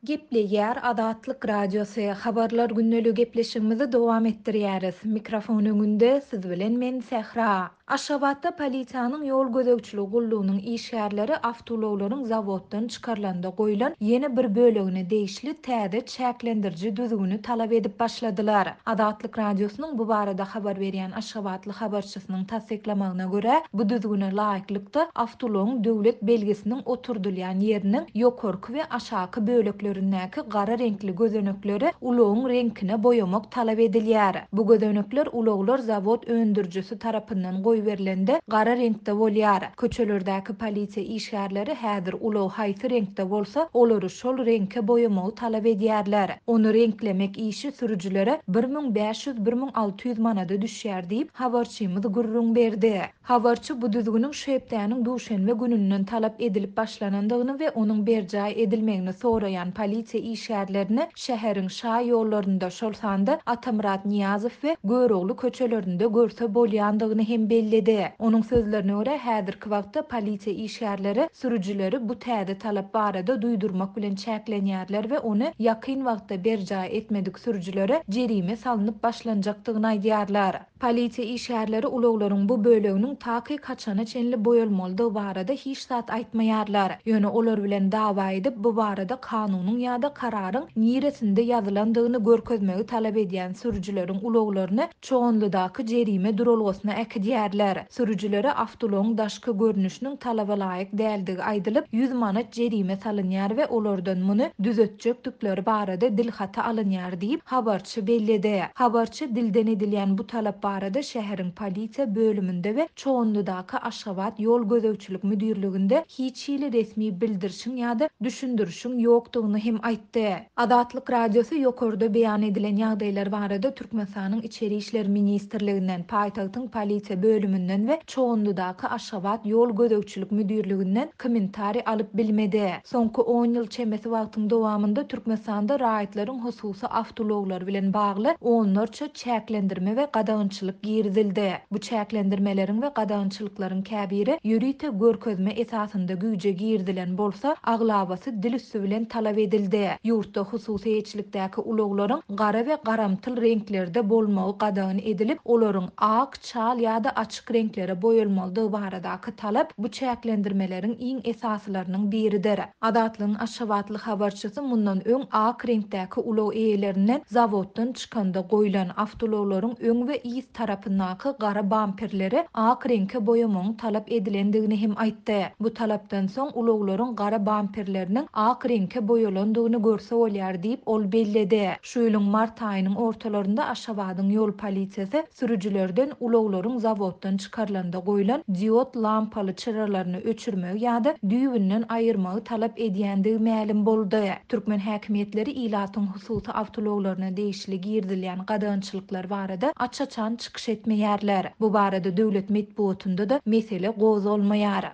Gepleýär Azatlyk Radiosy, Habarlar gündeligi gepleşigimizi dowam etdirýäris. Mikrofon öňünde siz bilen men Sähra. Aşgabatda polisiýanyň ýol gözegçiligi gullugynyň işgärleri awtoulaglaryň zawoddan çykarylanda goýlan ýene bir bölegine degişli täze çäklendiriji düzgüni talap edip başladylar. Azatlyk Radiosynyň bu barada habar berýän aşgabatly habarçysynyň tassyklamagyna görä, bu düzgüne laýyklykda, awtoulagyň döwlet belgisiniň oturdylýan ýeriniň ýokarky we aşaky böleklerindäki gara reňkli gözenekleri ulagyň reňkine boýamak talap edilýär. Bu gözenekler ulaglar zawod öndürijisi tarapyndan goýberilende gara reňkde bolýar. Köçelerdäki polisiýa işgärleri häzir ulag haýsy reňkde bolsa, olary şol reňke boýamagy talap edýärler. Ony reňklemek işi sürüjilere 1500, 1600 manada düşýär diýip, habarçymyz gürrüň berdi. Habarçy bu düzgüniň şu hepdäniň duşenbe gününden talap edilip başlanandygyny we onuň berjaý edilmegini soraýan polisiýa işgärlerini şäheriň şa ýollarynda, şol sanda Atamyrat Nyýazow we Görogly köçelerinde görse bolýandygyny hem belledi. Onuň sözlerine görä, häzirki wagtda polisiýa işgärleri sürüjileri bu täze talap barada duýdurmak bilen çäklenýärler we ony ýakyn wagtda berjaý etmedik sürüjilere jerime salnyp başlanjakdygyny aýdýarlar. Polisiýa işgärleri ulaglaryň bu böleginiň takyk haçana çenli boýalmalydygy barada hiç zat aýtmaýarlar. Ýöne olar bilen dawa edip, bu barada kanunyň ýa-da kararyň niresinde ýazylandygyny görkezmegi talap edýän sürüjileriň ulaglaryny Çoganlydaky jerime duralgasyna äkidýärler. Sürüjilere awtoulagyň daşky görnüşiniň talaba laýyk däldigi aýdylyp, 100 manat jerime salynýar we olardan muny düzetjekdikleri barada dilhaty alynýar diýip, habarçy belledi. Habarçy dilden edilýän bu talap barada şäheriň polisiýa bölüminde we Çoganlydaky Aşgabat ýol gözegçilik müdirliginde hiç hili resmi bildirişiň ýa-da düşündirişiň ýokdugyny hem aýtdy. Azatlyk Radiosy ýokarda beýan edilen ýagdaýlar barada Türkmenistanyň Içeri işler ministrliginden, paýtagtyň polisiýa bölüminden we Çoganlydaky Aşgabat ýol gözegçilik müdirliginden kommentariý alyp bilmedi. Soňky on ýyl çemesi wagtyň dowamynda Türkmenistanda raýatlaryň hususy awtoulaglary bilen bagly onlarça çäklendirme we gadagançylyk girizildi. Bu çäklendirmeleriň we gadagançylyklaryň käbiri ýörite görkezme esasynda güýje girizilen bolsa, aglabasy dil üsti bilen talap edildi. Ýurtda hususy eýeçilikdäki ulaglaryň gara we garamtyl reňklerde bolmagy gadagan edilip, olaryň ak, çal ýa-da açyk reňklere boýalmalydygy baradaky talap bu çäklendirmeleriň iň esasylarynyň biridir. Azatlygyň aşgabatly habarçysy mundan öň ak reňkdäki ulag eýelerinden zawoddan çykanda goýlan awtoulaglaryň öň we yz tarapyndaky gara bamperleri ak reňke boýamagyň talap edilendigini hem aýtdy. Bu talapdan soň ulaglaryň gara bamperleriniň ak reňke boýalandygyny görse bolýar diýip, ol belledi. Şu ýylyň mart aýynyň ortalarynda Aşgabadyň ýol polisiýasy sürüjilerden ulaglaryň zawoddan çykarylanda goýlan diod lampaly çyralaryny öçürmegi ýa-da düýbünden aýyrmagy talap edýändigi mälim boldy. Türkmen häkimiýetleri ilatyň hususy awtoulaglaryna degişli girizilýän gadagançylyklar barada aç-açan çykyş etmeýärler. Bu barada döwlet metbugatynda-da mesele gozgalmaýar.